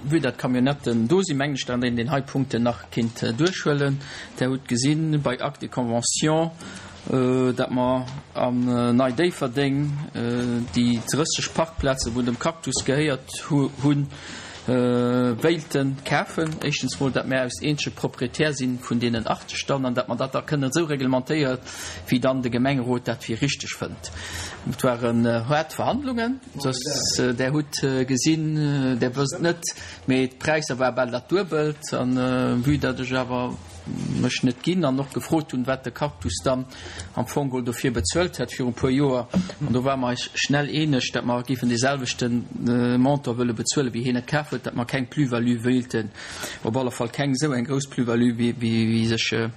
Vue dat d'Camionnetten do sinn, mengen ech, datt een deen hei Punkten nach kinnt duerchhuelen. Der hutt gesinn bei Acte et conventions, dat mer an Nei-Déifferdeng déi 30 Parkplazen, wou dem Cactus gehéiert hunn, wéilte kafen. Éischtens mol, dat mär aus eenzege Proprietär si vun deenen 80 dann an dat mer dat da kënnen esou reglementéieren, wéi dann de Gemengerot dat fir richteg fënnt. Et waren haart Verhandlungen, soss Der hutt gesinn, Der wësst net, mee d'Präisser war bal dat Duebelt. An vue dat ech awer mech net ginn an och gefrot hunn, wat de Cactus dann am Fong geholl dofir bezuelt hätt viru puer Joer. An do ware mer eis schnell eeneg, datt mer géifen dee selwechte Montant wëlle bezuelen, wéi hien et kaf huet, datt mer keng Plus-value wéilten, op alle Fall keng esou eng grouss Plus-value, wéi sech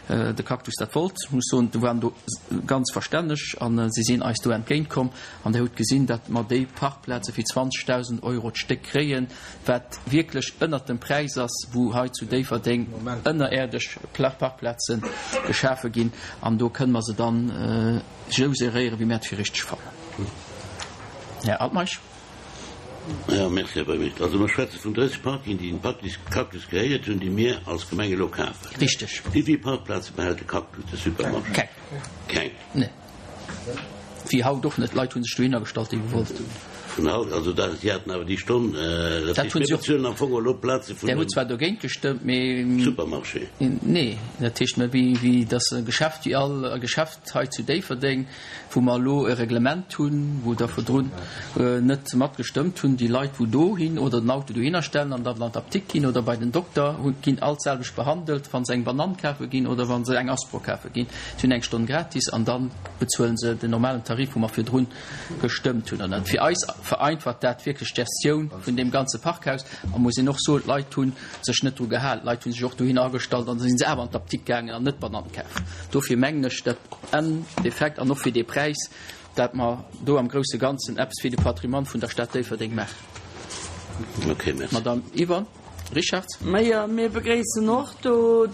de Cactus dat wollt. Ech muss soen, do waren do ganz verstänneg a si sinn eis do entgéintkomm. An Der hutt gesinn, datt mer déi Parkplaze fir 20.000 Euro d'Stéck kréien, wat wierklech ënnert dem Präis ass, wou hei zu Déifferdeng ënnerierdesch Parkplaze geschafe ginn. An do kënne mer se dann esou geréieren, wéi mir et fir richteg fannen. Här Altmeisch. Jo, merci, Här Buergermeeschter. Also mer schwätze vun 30 Parkingen, déi dem Cactus gehéiert hunn, déi mir als Gemeng elo kafen. Richteg. Wéi vill Parkplaze behält de Cactus, de Supermarché? Keng. Keng? Nee. Wéi haut och net. D'Leit hu sech dohinner gestallt, déi gewollt hunn. Vun haut, also dat, si haten awer déi Stonn, dat Dat heescht, hunn mir si och. bezuelen am Fong elo d'Plaze vun Där hutt dem zwar dogéint gestëmmt, mee. Supermarché. Nee, dat heescht, mä wéi, wéi dass e Geschäft wéi all Geschäft hei zu Déifferdeng, wou mer elo e Reglement hunn, wou der virdrun net matgestëmmt hunn, déi Leit, wou dohin oder den Auto dohinner stellen an dann an d'Apdikt ginn oder bei den Dokter, hu ginn all d'selwecht behandelt, wa se eng Banann kafe ginn oder wa se eng Aspro kafe ginn. Si hunn eng Stonn gratis an da bezuele se den normalen Tarif, wou mer virdrun gestëmmt hunn. An fir eis vereinfacht dat wierklech d'Gestioun vun deem ganze Parkhaus. A muss een och soen, d'Leit hu sech net dru gehalen. D'Leit hu sech och dohinner agestallt an da si se awer an d'Apdikt gaangen an net Banann kafen. Dofir mengen ech, dat Endeffekt an och fir dee Präis, dat mer do am grousse Ganzen eppes fir de Patrimoine vun der Stad Déifferdeng maachen. Okay, merci. Madame Yvonne Richarz. Majo, mir begréissen och do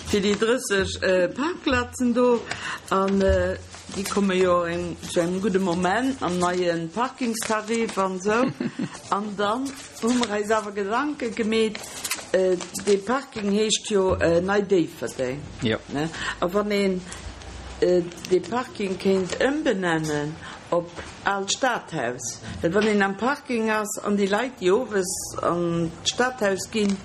fir déi 30 Parkplazen do an déi komme jo zu engem gudde Moment mam neie Parkingstarif an esou. An dann hu mer eis awer Gedanke gemeet, dee Parking heescht jo Nei Déifferdeng, a wann een dee Parking kéint ëmbenennen op Aalt Stadhaus, well wann een am Parking ass an déi Leit, déi owes an d'Stadhaus ginn,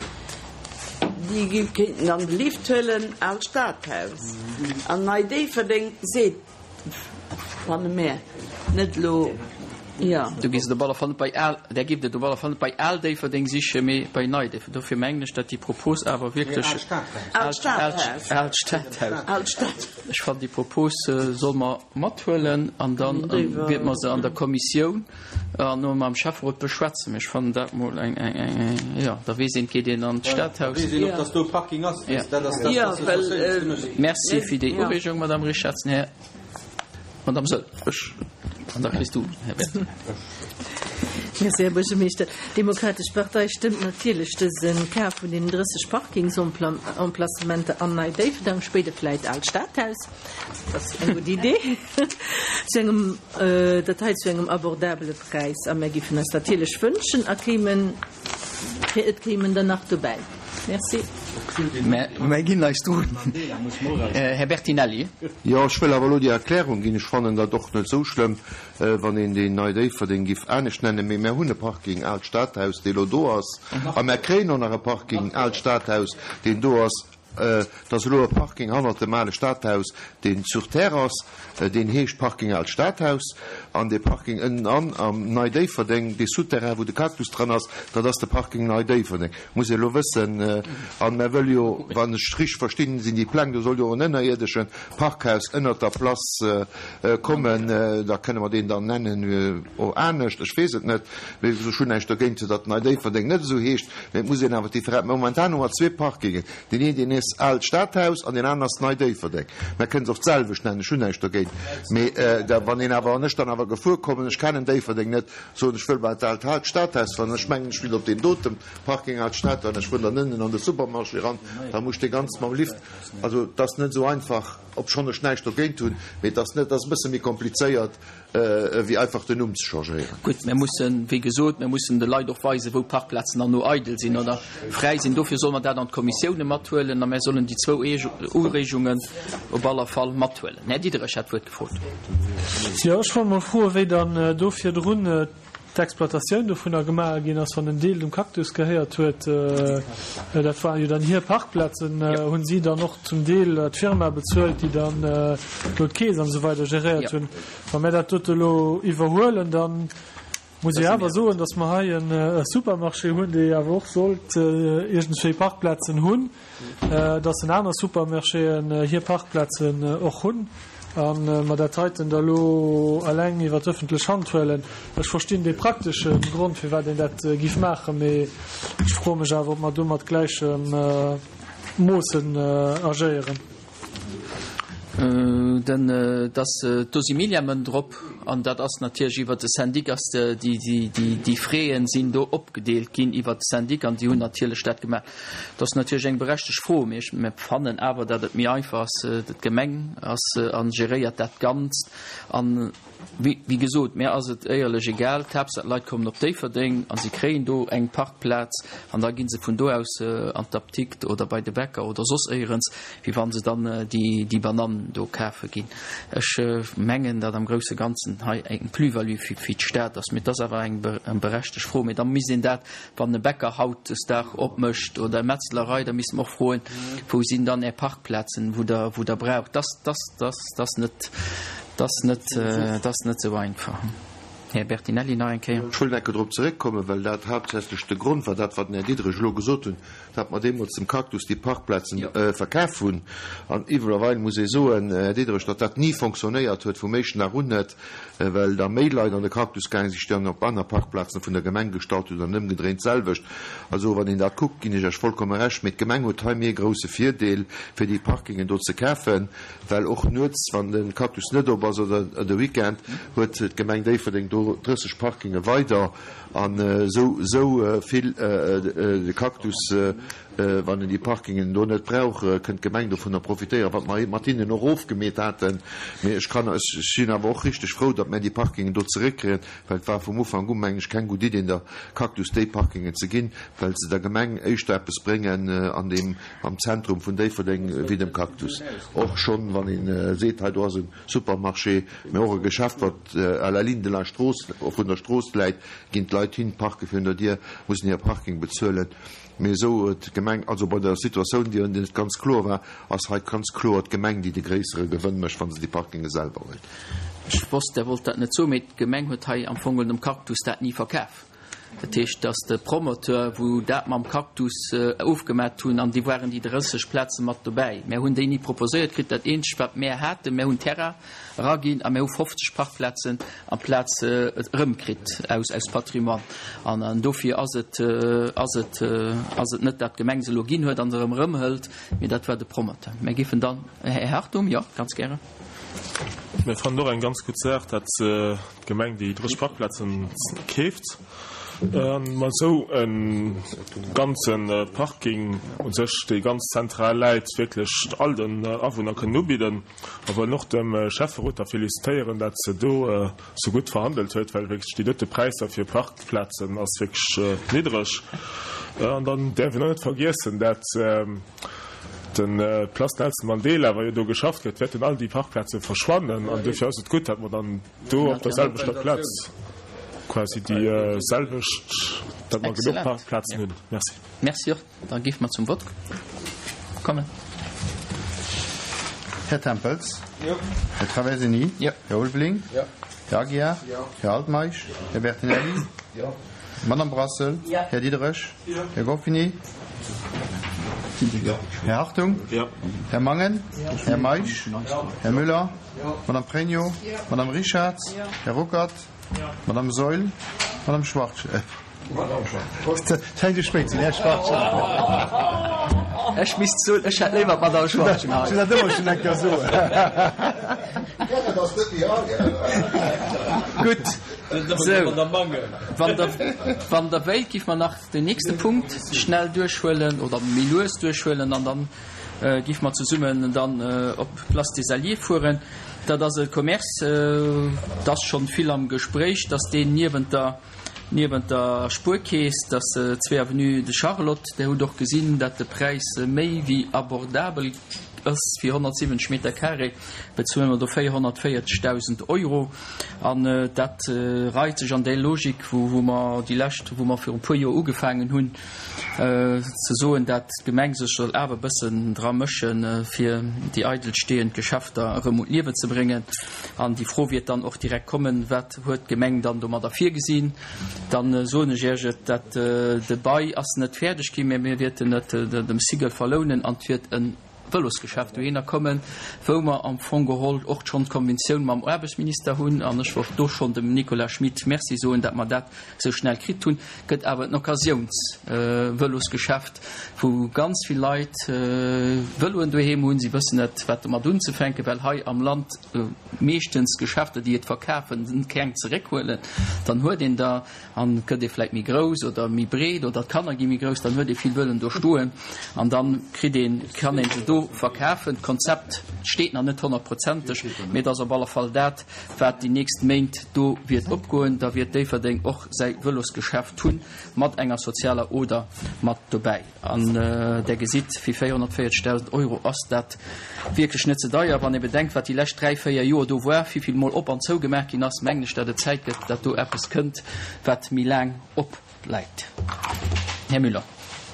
déi kéinten dann de Lift huelen, Aalt Stadhaus an Nei Déifferdeng seet, fanne mär net elo, jo. Du gees et op alle Fall net bei Al, där giff et op alle Fall net bei Al Déifferdeng sichen, mee bei Nei Déifferdeng. Dofir mengen ech, datt déi Propos awer wierklech. Aalt Stadhaus. Aalt Stadhaus. Aalt Stadhaus. Ech fannen, déi Propos solle mer mathuelen an da wäerte mer se an der Kommissioun an och mam Schäfferot beschwätzen. Mee ech fannen dat mol eng, eng, eng, jo, da weess een, et geet een an d'Stadhaus. Da weess een och, dass do e Parking ass. Dat ass dat, wat se mécht. Merci fir déi Ureegung, Madame Richardson. Här, Madame Soll, ech, an da kriss du, Här Bertinelli. Merci, Här Buergermeeschter. D'Demokratesch Partei stëmmt natierlech dëse Kaf vun deenen 30 Parkingsemplacementer an Nei Déifferdang, spéider vläit Aalt Stadhaus, dat ass eng gutt Idee, zu engem, dat hei zu engem abordabele Präis. A mär géifen eis natierlech wënschen, a kéimen, et kéimen der nach dobäi. Merci. Mär ginn eis drun. Här Bertinelli. Jo, ech wëll awer elo déi Erklärung ginn. Ech fannen dat och net esou schlëmm. Wann een deen Nei Déifferdeng giff anescht nennen, mee mär hunn e Parking Aalt Stadhaus, dee lo do ass, a mär kréien och nach e Parking Aalt Stadhaus, deen do ass. Et ass elo e Parking hannert dem ale Stadhaus, deen sur terre ass, deen heescht Parking Aalt Stadhaus. An dee Parking ënnenan am Nei Déifferdeng, dee Souterrain, wou de Cactus dran ass, dat ass de Parking Nei Déifferdeng. Muss ee elo wëssen. An mär wëlle jo, wann ech richteg verstinn, sinn déi Pläng, do soll jo och en ënnerierdesche Parkhaus ënnert der Place kommen, da kënne mer deen dann nennen o anescht, ech weess et net. Mee ech hunn näischt dogéint, datt Nei Déifferdeng net esou heescht, mee et muss een awer d'Differenz. Momentan hu mer zwee Parkingen, deen een, deen ass. ass Aalt Stadhaus an deen aneren ass Nei Déifferdeng. Mä kënnen se och d'selwecht nennen, ech hunn näischt dogéint. Mee da, wann een awer, wann ech dann awer gefuer kommen, ech kennen Déifferdeng net, soen ech wëll bei d'Aalt Stadhaus fahren, ech mengen ech will op deen doten Parking Aalt Stadhaus an ech fueren dann ënnen an de Supermarché eran, da muss ech dee ganz mam Lift, also et ass net esou einfach, obschonn ech näischt dogéint hunn, mee et ass net, et ass e bësse méi komplizéiert. Ewéi einfach den Numm ze changéieren. Gutt, mir mussen, wéi gesot, mir mussen de Leit och weisen, wou Parkplazen dann no eidel sinn oder fräi sinn. Dofir solle mer dat an d'Kommissioune mathuelen a mir sollen déi zwou Ureegungen op aller Fall mathuelen. Här Diderich hat d'Wuert gefrot. Jo, ech wollt mol froen, wéi dann do virdrun d'Exploitatioun dovunner gemaach ginn ass, wann en Deel dem Cactus gehéiert huet. Dat waren jo dann hir Parkplazen. Hunn si dann och zum Deel d'Firma bezuelt, déi dann do d'Keess an esou weider geréiert hunn? Wa mir dat dote elo iwwerhuelen, da muss ech awer soen, datt mer hei e Supermarché hunn, dee awer och sollt iergendwéi Parkplazen hunn. dass en aner Supermarchéen hir Parkplazen och hunn a mer dat heiten da lo eleng iwwer d'ëffentlech Hand huelen. Ech verstinn dee praktesche Grond, firwat een dat giff maachen, mee ech froe mech awer, ob mer do mat gläichem Moossen agéieren. Den, dass do si Millièmen drop an dat ass natierlech iwwert de Syndic ass déi, déi, déi Fräen sinn do opgedeelt ginn iwwert de Syndic an déi hunn natierlech dat gemaach. Dat ass natierlech eng berechtegt Fro, mee ech fannen awer, datt et méi einfach ass, d'Gemeng ass a geréiert dat Ganzt. An wéi gesot, mär ass et éierlech egal, d'Haaptsaach d'Leit kommen op Déifferdeng a si kréien do eng Parkplaz an da gi se vun do aus an d'Apdikt oder bei de Bäcker oder soss éierens, wéi wa se dann déi Banann do kafe ginn. Ech mengen, datt am grousse Ganzen hei eng Plus-value fir d'Stad ass. Mee et ass awer eng berechtegt Fro. Mee da misst een dat Wann e Bäcker hautdesdag opmécht oder e Metzlerei, da misste mer och froen, Wou sinn dann Är Parkplazen, wou Der, wou Der braucht? Dass, dass, dass, dass net, dass net, dass net esou einfach. Här Bertinelli nach eng Kéier. Ech wëll enke drop zeréckkommen, well dat haaptsächlech de Grond war, dat wat den Här Diderich elo gesot hunn, datt mer deemools dem Cactus déi Parkplazen verkaf hunn. An iwwerweil muss ee soen, Här Diderich, datt dat ni fonctionnéiert huet, vum éischten Dag un net. well da méi Leit an de Cactus gaange sinn, déi dann op aner Parkplazen vun der Gemeng gestallt hunn an ëmgedréint d'selwecht. Also wann een dat kuckt, ginn ech Iech vollkomme Recht, mee d'Gemeng huet hei méi e grouse Virdeel, fir déi Parkingen do ze kafen, well och nuets, wann de Cactus net op ass oder de Weekend, huet d'Gemeng Déifferdeng do 30 Parkinge weider an esou esou vill de Cactus Wann en déi Parkingen do net brauch, kënnt d'Gemeng dovunner profitéieren, wat mer mat hinnen och ofgemeet haten. Mee ech kann, ech sinn awer och richteg frou, datt mär déi Parkingen do zeréckkréien, well et war vum Ufank u, mengen ech, keng gutt Idee, der Cactus déi Parkingen ze ginn, well se der Gemeng éischter eppes bréngen an deem, am Zentrum vun Déifferdeng wéi dem Cactus. Och schonn, wann ee seet, hei do ass e Supermarché, mä och e Geschäft, wat à la ligne de la Strooss, vun der Strooss läit, ginn d'Leit hin, parke virun der Dier, mussen hire Parking bezuelen. Mee esou huet d'Gemeng, also bei der Situatioun, déi net ganz kloer war, ass hei ganz kloer d'Gemeng, déi de gréissere Gewënn mécht, wa se déi Parkinge selwer huet. Ech wosst, Der wollt dat net soen, mee d'Gemeng huet hei am Fong dem Cactus dat ni verkaf. Dat heescht, dass de Promoteur, wou dat mam Cactus ofgemat hunn, an déi waren déi 30 Plaze mat dobäi, mär hunn déi ni proposéiert kritt. Dat eenzegt, wat mär haten, mär hunn Terrain eraginn a mär hu 50 Parkplazen amplaz erëmkritt aus aus Patrimoine. An an dofir ass et ass et ass et net, dat d'Gemeng se elo ginn huet an se erëm erëmhëlt, mee dat war de Promoteur. Mär géifen dann, Här Hartung, jo, ganz gären. Mir fannen och eng ganz gutt Saach, dat d'Gemeng déi 30 Parkplazen keeft a mer esou e ganze Parking u sech, dee ganz zentral läit, wierklech all den Awunner kënnen ubidden. A wëllen och dem Schäfferot da felicitéieren, dat se do sou gutt verhandelt huet, well wierklech déi dote Präisser fir Parkplazen ass wierklech niddreg. An dann däerf een och net vergiessen, dat de Place Nelson Mandela, wa jo do geschafft gëtt, wäerten all déi Parkplaze verschwannen. An duerfir ass et gutt, dat mer dann do op der selwechter Plaz quasi déi selwecht, dat mer genuch Parkplazen hunn. Merci. Merci och. Da géife mer zum Vott kommen. Här Tempels? Jo. Här Traversini? Jo. Här Ulveling? Jo. Här Aguiar? Jo. Här Altmeisch? Jo. Här Bertinelli? Jo. Madame Brassel? Jo. Här Diderich? Jo. Här Goffini? Jo. Här Hartung? Jo. Här Mangen? Jo. Här Meisch? Jo. Här Müller? Jo. Madame Pregno? Jo. Madame Richarz? Jo. Här Ruckert? Jo. Madame Saeul? Madame Schwartz? Zäit spéit sinn, Här Schwartz. Ech misst soen, ech hätt léiwer d'Madame Schwachtgen hei. Ech hunn dat ëmmer schonn eng Kéier soen. Gutt, sou, wann Der, wann Der wéilt, giff mer nach den nächste Punkt schnell duerchhuelen oder méi lues duerchhuelen an dann giff mer zesummen dann op d'Place des Alliés fueren. Dat ass e Commerce, et ass schonn vill am Gespréich, dass deen niewent der, niewent der Spuerkeess, dass zwee Avenue de Charlotte, Der hutt och gesinn, dat de Präis méi wéi abordabel ass, fir 170 Meter carré bezuele mer do 440.000 Euro an dat reit sech an déi Logik, wou mer déi lescht, wou mer viru puer Joer ugefaangen hunn ze soen, dat d'Gemeng sech soll awer e bëssen dra mëschen, fir déi eidel stehend Geschäfter erëm un d'Liewe ze bréngen. An déi Fro wiert dann och direkt kommen, Wat huet d'Gemeng dann domadder virgesinn? Dann soen ech Iech et, dat de Bail ass net fäerdeg ginn, mä mir wierten et dem Sigel verlounen an et wiert e Vëlosgeschäft dohinner kommen, wou mer am Fong geholl och schonn d'Konventioun mam Aarbechtsminister hunn. An ech wollt do schonn dem Nicolas Schmit Merci soen, dat mer dat esou schnell kritt hunn. Gëtt awer en Occasiounsvëlosgeschäft, wou ganz vill Leit Vëloen doheem hunn. Si wëssen net, wat domat unzefänken, well hei am Land meeschtens Geschäfter, déi et verkafen, keng zeréckhuelen. Dann huet een der an et gëtt ee vläit méi grouss oder méi breet oder d'Kanner gi méi grouss, dann huet ee vill Vëloen do stoen an dann kritt een, kann ee se do verkafen. D'Konzept steet nach net honnertprozenteg, mee et ass op alle Fall dat, wat déi nächst Méint do wiert opgoen. Da wiert Déifferdeng och säi Vëlosgeschäft hunn, mat enger sozialer Oder mat dobäi. An Der gesitt, fir 440.000 Euro ass dat wierklech net ze deier. Wann ee bedenkt, wat déi lescht dräi, véier Joer do war, wéi vill mol op an zougemaach ginn ass, mengen ech, datt et Zäit gëtt, datt do eppes kënnt, wat méi laang opbleibt. Här Müller.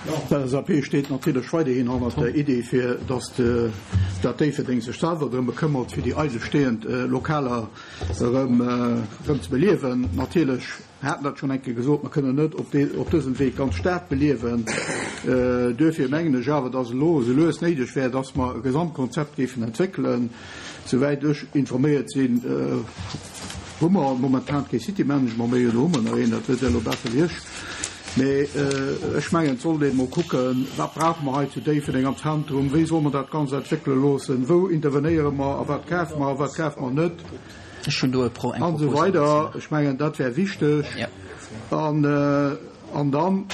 D'LSAP steet natierlech weiderhin hannert der Idee, fir datt d'Stad Déifferdeng sech selwer drëm bekëmmert, fir déi eidelstehend Lokaler erëm ze beliewen. Natierlech haten dat schonn eng Kéier gesot, mer kënnen net op dësem Wee d'ganz Stad beliewen. Duerfir mengen ech awer, datt elo esou lues néideg wär, datt mer e Gesamtkonzept géifen entwéckelen. Souwäit ech informéiert sinn, hu mer momentan kee City Management méi, elo hu mer nach een, dat wësst Der elo besser wéi ech. Mee ech mengen, et sollt een emol kucken, Wat brauche mer hei zu Déifferdeng am Zentrum? Wéi solle mer dat Ganzt entwéckele loossen? Wou intervenéiere mer a wat kafe mer a wat kafe mer net? Ech hunn do e Pro, eng An esou Propose weider. dozou. Ech mengen, dat wär wichteg. An, an dann,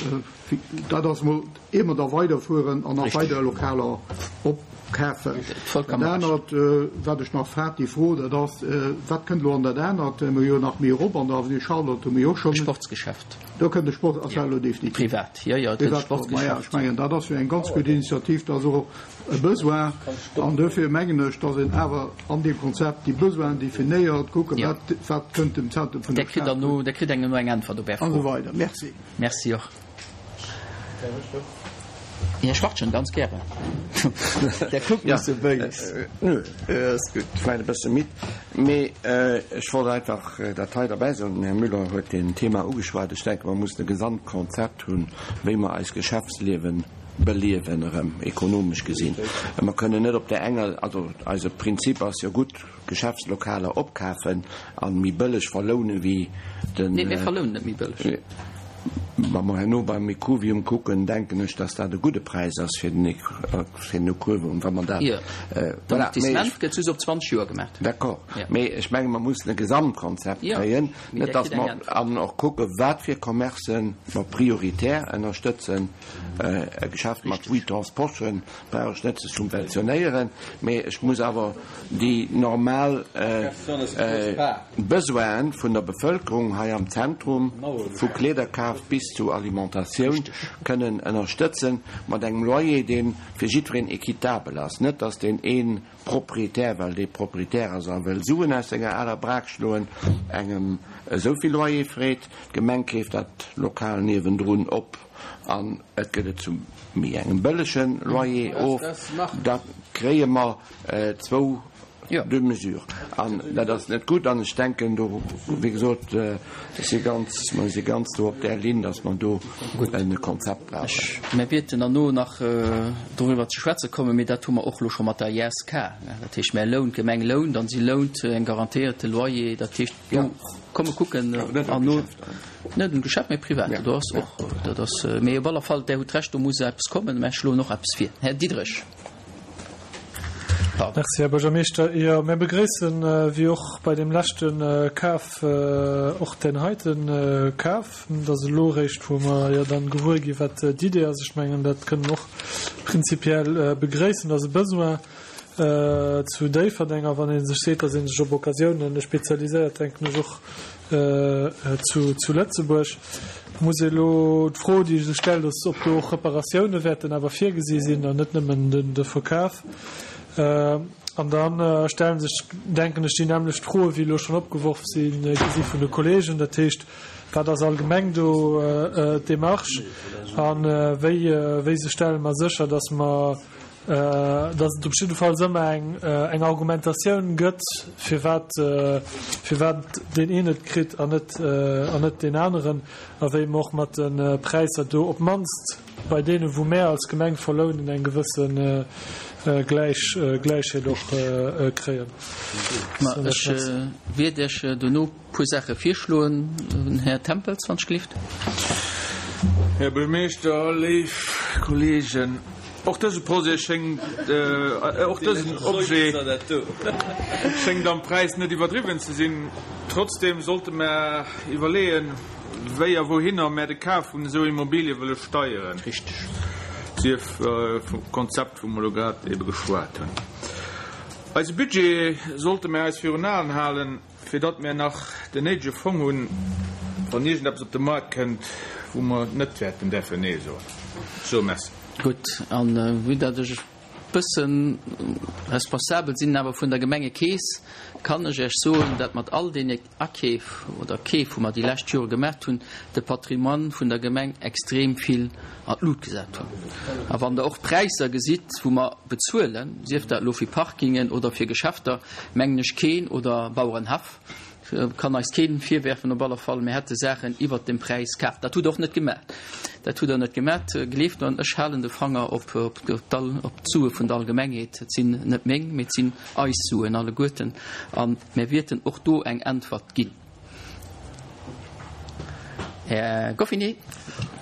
dat ass emol, ier mer da weiderfueren an nach weider Lokaler opkafen. Dat anert, wat ech nach hat, déi Fro, dat ass, Wat kënnt elo an dat anert? Mir hu jo nach méi erop an der Avenue Charlotte hu mir jo och schonn. Sportsgeschäft. Do kënnt e Sport, ass dat elo definitiv? Privat, jo, jo, et kënnt e Sportsgeschäft. Ech mengen, dat ass jo eng ganz gutt Initiativ, dat ass och e Besoin. An duerfir mengen ech, datt een awer an deem Konzept déi Besoinen definéiert, kucken, wat, wat kënnt dem Zentrum vun der Stad gutt. Der kritt eng no eng Äntwert op Är Fro. An esou weider. Merci. Merci och. Här Schwachtgen, ganz gären. Der kuckt mech sou béis. Nö, ass gutt, ech war e bësse midd. Mee ech wollt einfach dat hei derbäi soen, den Här Müller huet deen Thema ugeschwat, Ech denke mer mussen e Gesamtkonzept hunn, wéi mer eist Geschäftsliewen beliewen erëm, ekonomesch gesinn. Mer kënnen net op där enger, also eise Prinzip ass jo gutt, Geschäftslokaler opkafen an méi bëlleg verlounen wéi den. Nee, mir verlounen net méi bëlleg. Wa mer herno beim Ecuvium kucken, denken ech, dass dat e gudde Präis ass fir den Ecuvium, wa mer dat. Jo, d'Amortissement gëtt just op 20 Joer gemaach. D'accord, mee ech menge mer mussen e Gesamtkonzept kréien, net dass mer, an och kucken, wat fir Commercen mer prioritär ënnerstëtzen. E Geschäft mat Vuittons Poschen brauch ech net ze subventionéieren, mee ech muss awer déi normal Besoinen vun der Bevëlkerung hei am Zentrum, vu Kleederkaf bis zu Alimentatioun, kënnen ënnerstëtzen mat engem Loyer, dee fir jiddwereen équitabel ass. Net dass deen ee Proprietär, well dee Proprietär ass a wëll Suen aus senger aler Brak schloen, engem esou vill Loyer freet. D'Gemeng keeft dat Lokal niewendrun op an et gëtt et zu méi engem bëllege Loyer of. Da kréie mer zwou. Deux mesures. An dat ass net gutt. An ech denken do, wéi gesot, ech si ganz, mer si ganz do op där Linn, datt mer do e Konzept brauchen. Mer wäerten herno nach doriwwer ze schwätze kommen, mee dat hu mer och elo scho mat der ISK. Dat heescht, mer lount, d'Gemeng lount an si lount eng garantéierte Loyer. Dat heescht, do komme kucken herno. Net un d'Geschäft, mee privat. Do ass och, dat ass, mee op alle Fall, Där hutt Recht, do muss eppes kommen. Mä ech schloen och eppes vir. Här Diderich. Pardon. Merci, Här Buergermeeschter. Jo, mir begréissen, wéi och bei deem leschte Kaf, och deen heite Kaf. Et ass elo eréischt, wou mer jo dann gewuer ginn, wat d'Idee ass. Ech mengen, dat kënne mer och prinzipiell begréissen. Et ass e Besoin zu Déifferdeng. A wann ee sech seet, datt ee sech op Occasiounen spezialiséiert, denken ech och zu Lëtzebuerg. Muss ee elo d'Fro, déi sech stellt, ass, ob do och Reparatioune wäerten awer virgesi sinn an net nëmmen de Verkaf. An da stelle sech, denken ech, déi nämmlecht Froe wéi elo schonn opgeworf si gi si vun de Kolleegen. Dat heescht, wat ass allgemeng do d'Demarche a wéi wéi se stelle mer sécher, datt mer datt et op jiddefalls ëmmer eng eng Argumentatioun gëtt, firwat firwat deen een et kritt an net an net deen aneren, a wéi mer och mat de Präisser do op d'mannst bei deene wou mär als Gemeng verlounen eng gewësse Gläich Gläichheet och kréien. Ma ech wiert Iech dono puer Saache virschloen, Här Tempels, wann ech gelift. Här Buergermeeschter, léif Kolleegen, och dëse Projet schéngt, och dësen Objet schéngt am Präis net iwwerdriwwen ze sinn. Trotzdem sollte mer iwwerleeën, wéi a wouhinner mer de Kaf vun esou Immobilie wëlle steieren, sief vum Konzept, wou mer elo grad ebe geschwat hunn. Eise Budget sollte mer eis virun Aen halen. Fir datt mär nach den néidege Fong hunn, wann iergendeppes op de Moart kënnt, wou mer net wäerten däerfen Nee soen. Ech soe Merci. Gutt, a vue datt ech e bësse responsabel sinn awer vun der Gemengekeess, kann ech Iech soen, datt mat all deene Akeef oder Keef, wou mer déi lescht Jore gemaat hunn, de Patrimoine vun der Gemeng extrem vill an d'Lut gesat hunn. A wann Der och d'Präisser gesitt, wou mer bezuelen, sief dat elo fir Parkingen oder fir Geschäfter, mengen ech keen, oder Bauerenhaff, kann eis keen virwerfen, op alle Fall, mir hätte Saachen iwwert dem Präis kaf. Dat hutt Der och net gemaat. Dat hutt Der net gemaat. Gleeft mer, ech halen de Fanger op d'Sue vun der Allgemengheet. Et sinn net meng, mee et sinn eis Suen alleguerten. A mir wierten och do eng Äntwert ginn. Här Goffinet.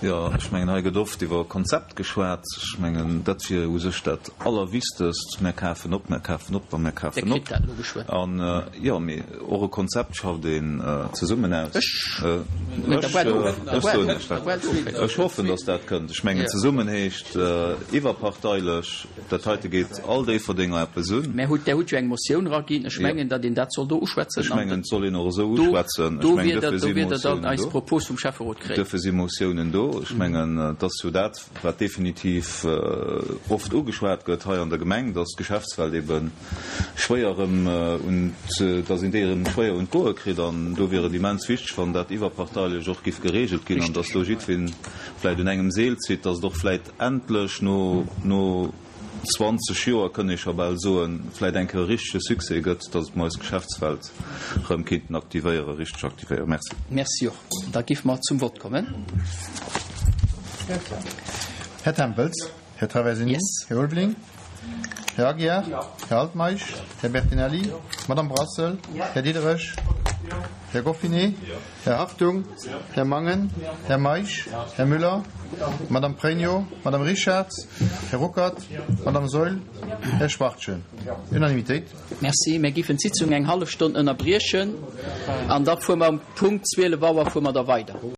Jo, ech mengen, hei gëtt oft iwwer Konzept geschwat. Ech mengen, dat wier u sech dat Allerwichtegst. Mär kafen op, mär kafen op a mär kafen op. An, jo, mee och e Konzept schafft een zesummen aus. Ech soen Iech dat. Ech hoffen, datt dat kënnt. Ech mengen, zesummen heescht iwwerparteilech. Dat heite geet all Déifferdenger eppes un. Mä hutt, Der hutt jo eng Motioun eraginn. Ech mengen, datt een dat soll do uschwätzen. Ech mengen, et soll een och esou uschwätzen. Ech mengen, dofir si Motiounen do. Propos vum Schäfferot kréien. Dofir si Motiounen do. Ech mengen, et ass jo dat, wat definitiv oft ugeschwat gëtt hei an der Gemeng, datt d'Geschäftswelt ebe schwéier erëm un, datt een déi erëm schwéier un d'Goe kritt. An do wier et immens wichteg, wann dat iwwerparteilech och giff geregelt ginn an datt do jiddween vläicht un engem Seel zitt, datt et och vläicht endlech no no 20 Joer, kënn ee scho bal soen, vläit eng Kéier e richtege Succès gëtt, datt mer eis Geschäftswelt erëm kéinten aktivéieren, richteg aktivéieren. Merci. Merci och. Da géife mer zum Vott kommen. Här Tempels, Här Traversini, Här Ulveling, Här Aguiar, Här Altmeisch, Här Bertinelli, Madame Brassel, Här Diderich, Här Goffinet, Här Hartung, Här Mangen, Här Meisch, Här Müller, Madame Pregno, Madame Richarz, Här Ruckert, Madame Saeul, Här Schwachtgen. Unanimitéit. Merci. Mir géifen d'Sitzung eng hallef Stonn ënnerbriechen an da fuere mer um Punkt 12 Auer fuere mer da weider.